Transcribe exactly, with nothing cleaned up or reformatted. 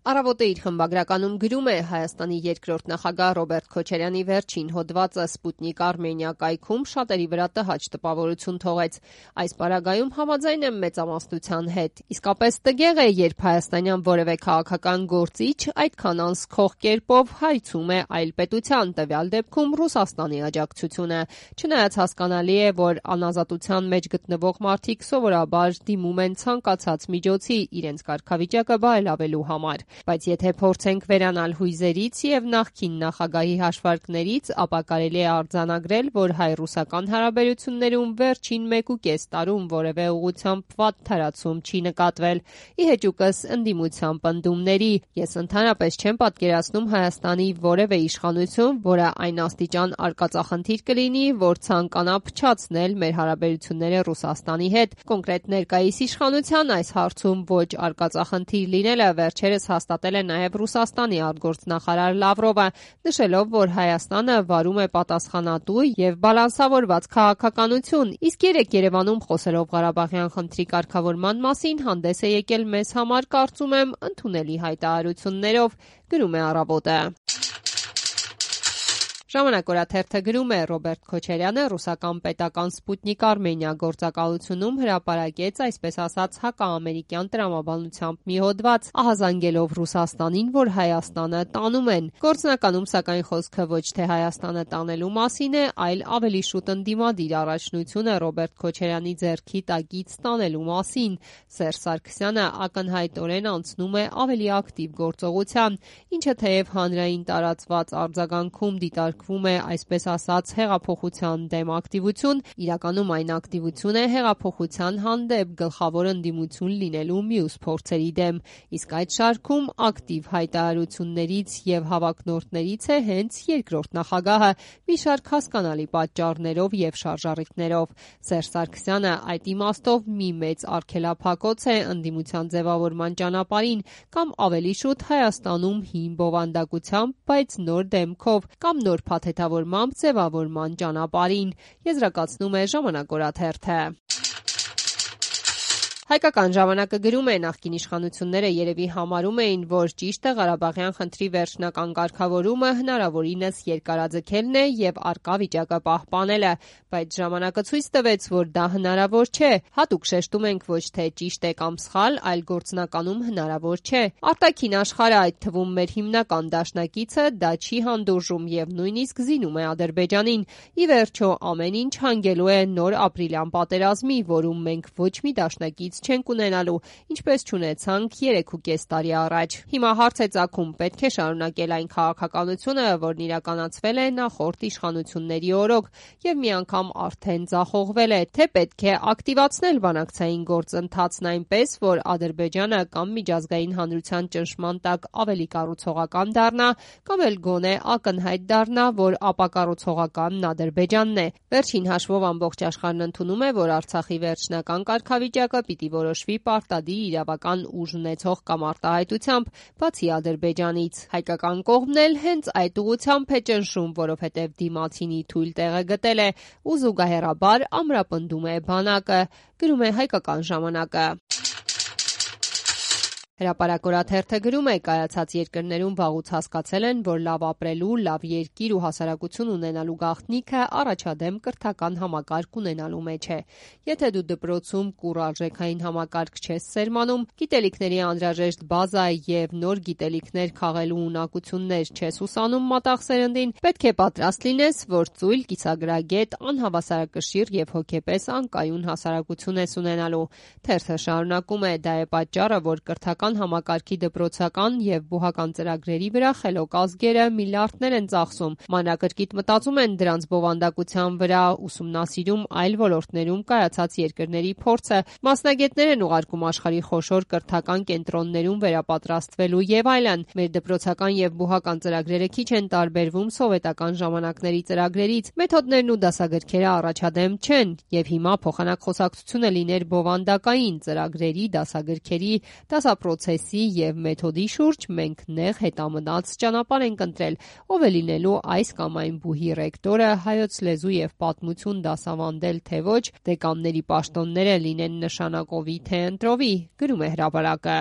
Առավոտը իր խմբագրականում գրում է Հայաստանի երկրորդ նախագահ Ռոբերտ Քոչարյանի վերջին հոդվածը Սպուտնիկ Արմենիա կայքում շատերի վրա տհաճ տպավորություն թողեց։ Այս պարագայում համաձայն եմ մեծամասնության հետ։ Իսկապես տգեղ է, երբ հայաստանյան որևէ քաղաքական գործիչ այդքան անսքող կերպով հայցում է այլ պետության, տվյալ դեպքում Ռուսաստանի աջակցությունը։ Չնայած հասկանալի է, որ անազատության մեջ գտնվող մարդիկ սովորաբար դիմում են ցանկացած միջոցի իրենց կարգավիճակը բարելավելու համար։ Բայց եթե փորձենք վերանալ հույզերից եւ նախկին նախագահի հաշվարկներից, ապա կարելի է արձանագրել, որ հայ-ռուսական հարաբերություններում վերջին մեկուկես տարում որևէ ուղղությամբ վատ թարացում չի նկատվել։ Ի հեճուկս ընդդիմության պնդումների, ես ընդհանրապես չեմ պատկերացնում Հայաստանի որևէ իշխանություն, որը այն աստիճան արկածախնդիր կլինի, որ ցանկանա փչացնել մեր հարաբերությունները Ռուսաստանի հետ։ Կոնկրետ ներկայիս իշխանության այս հարցում ոչ արկածախնդիր լինելը վերջերս հաստատել է նաև Ռուսաստանի արտգործնախարար Լավրովը, նշելով, որ Հայաստանը վարում է պատասխանատու եւ բալանսավորված քաղաքականություն, իսկ երեկ Երևանում խոսելով Ղարաբաղյան խնդրի կարգավորման մասին հանդես է եկել մեզ համար, կարծում եմ, ընդունելի հայտարարություններով, գրում է Առավոտը։ Ժամանակ օրաթերթը գրում է Ռոբերտ Քոչարյանը ռուսական պետական Սպուտնիկ Արմենիա գործակալությունում հրապարակեց այսպես ասած հակաամերիկյան տրամաբանությամբ մի հոդված, ահազանգելով Ռուսաստանին, որ Հայաստանը տանում են։ Գործնականում սակայն խոսքը ոչ թե Հայաստանը տանելու մասին է, այլ ավելի շուտ ընդդիմադիր առաջնությունը Ռոբերտ Քոչարյանի ձեռքի տակից տանելու մասին։ Սերժ Սարգսյանը ակնհայտորեն անցնում է ավելի ակտիվ գործողության, ինչը թեև հանրային տարածված արձագանքում դիտարկվում է այսպես ասած հեղափոխության դեմ ակտիվություն, իրականում այն ակտիվություն է հեղափոխության հանդեպ գլխավոր ընդդիմություն լինելու մյուս փորձերի դեմ, իսկ այդ շարքում ակտիվ հայտարարություններից եւ հավակնորդներից է հենց երկրորդ նախագահը մի շարք հասկանալի պատճառներով եւ շարժառիթներով։ Սերժ Սարգսյանը այդ իմաստով մի մեծ արգելափակոց է ընդդիմության ձևավորման ճանապարհին կամ ավելի շուտ Հայաստանում հին բովանդակությամբ, բայց նոր դեմքով կամ նոր փաթեթավորմամբ ձևավորման ճանապարհին, եզրակացնում է Ժամանակ օրաթերթը։ Հայկական ժամանակը գրում է նախկին իշխանությունները երևի համարում էին, որ ճիշտը Ղարաբաղյան խնդրի վերջնական կարգավորումը հնարավորինս երկարաձգելն է եւ առկա վիճակը պահպանելը, բայց ժամանակը ցույց տվեց, որ դա հնարավոր չէ։ Հատուկ շեշտում ենք ոչ թե ճիշտ է կամ սխալ, այլ գործնականում հնարավոր չէ։ Արտաքին աշխարհը, այդ թվում մեր հիմնական դաշնակիցը, դա չի հանդուրժում եւ նույնիսկ զինում է Ադրբեջանին։ Ի վերջո ամեն ինչ հանգելու է նոր ապրիլյան պատերազմի, որում մենք ոչ մի դաշնակից չենք ունենալու, ինչպես չունեցանք երեքուկես տարի առաջ։ Հիմա հարց է ծագում, պետք է շարունակել այն քաղաքականությունը, որն իրականացվել է նախորդ իշխանությունների օրոք եւ մի անգամ արդեն ձախողվել է, թե պետք է ակտիվացնել բանակցային գործընթացն այնպես, որ Ադրբեջանը կամ միջազգային հանրության ճնշման տակ ավելի կառուցողական դառնա, կամ էլ գոնե ակնհայտ դառնա, որ ապակառուցողականն Ադրբեջանն է։ Վերջին հաշվով ամբողջ աշխարհն ընդունում է, որ Արցախի վերջնական կարգավիճակը պիտի որոշվի պարտադիր իրավական ուժ ունեցող կամ արտահայտությամբ, բացի Ադրբեջանից։ Հայկական կողմն էլ հենց այդ ուղղությամբ է ճնշում, որովհետև դիմացինի թույլ տեղը գտել է ու զուգահեռաբար ամրապնդում է բանակը, գրում է Հայկական ժամանակը։ Հրապարակ օրաթերթը գրում է, կայացած երկրներում վաղուց հասկացել են, որ լավ ապրելու, լավ երկիր ու հասարակություն ունենալու գաղտնիքը առաջադեմ կրթական համակարգ ունենալու մեջ է։ Եթե դու դպրոցում կուռ արժեքային համակարգ չես սերմանում, գիտելիքների անհրաժեշտ բազա եւ նոր գիտելիքներ քաղելու ունակություններ չես ուսանում մատաղ սերնդին, պետք է պատրաստ լինես, որ ծույլ, կիսագրագետ, անհավասարակշիռ եւ հոգեպես անկայուն հասարակություն ես ունենալու։ Թերթը շարունակում է, դա է պատճառը, որ կրթական համակարգի դպրոցական եւ բուհական ծրագրերի վրա խելոք ազգերը միլիարդներ են ծախսում, մանրակրկիտ մտածում են դրանց բովանդակության վրա, ուսումնասիրում այլ ոլորտներում կայացած երկրների փորձը, մասնագետներ են ուղարկում աշխարհի խոշոր կրթական կենտրոններում վերապատրաստվելու եւ այլն։ Մեր դպրոցական եւ բուհական ծրագրերը քիչ են տարբերվում սովետական ժամանակների ծրագրերից, մեթոդներն ու դասագրքերը առաջադեմ չեն, եւ հիմա փոխանակ խոսակցությունը լիներ բովանդակային ծրագրերի, դասագրքերի, դասապրոցեսի եւ մեթոդի շուրջ, մենք նեղ հետամնաց ճանապարհ ենք ընտրել, ով է լինելու այս կամ այն բուհի ռեկտորը, հայոց լեզու եւ պատմություն դասավանդել թե ոչ, դեկանների պաշտոնները լինեն նշանակովի թե ընտրովի, գրում է հրապարակը։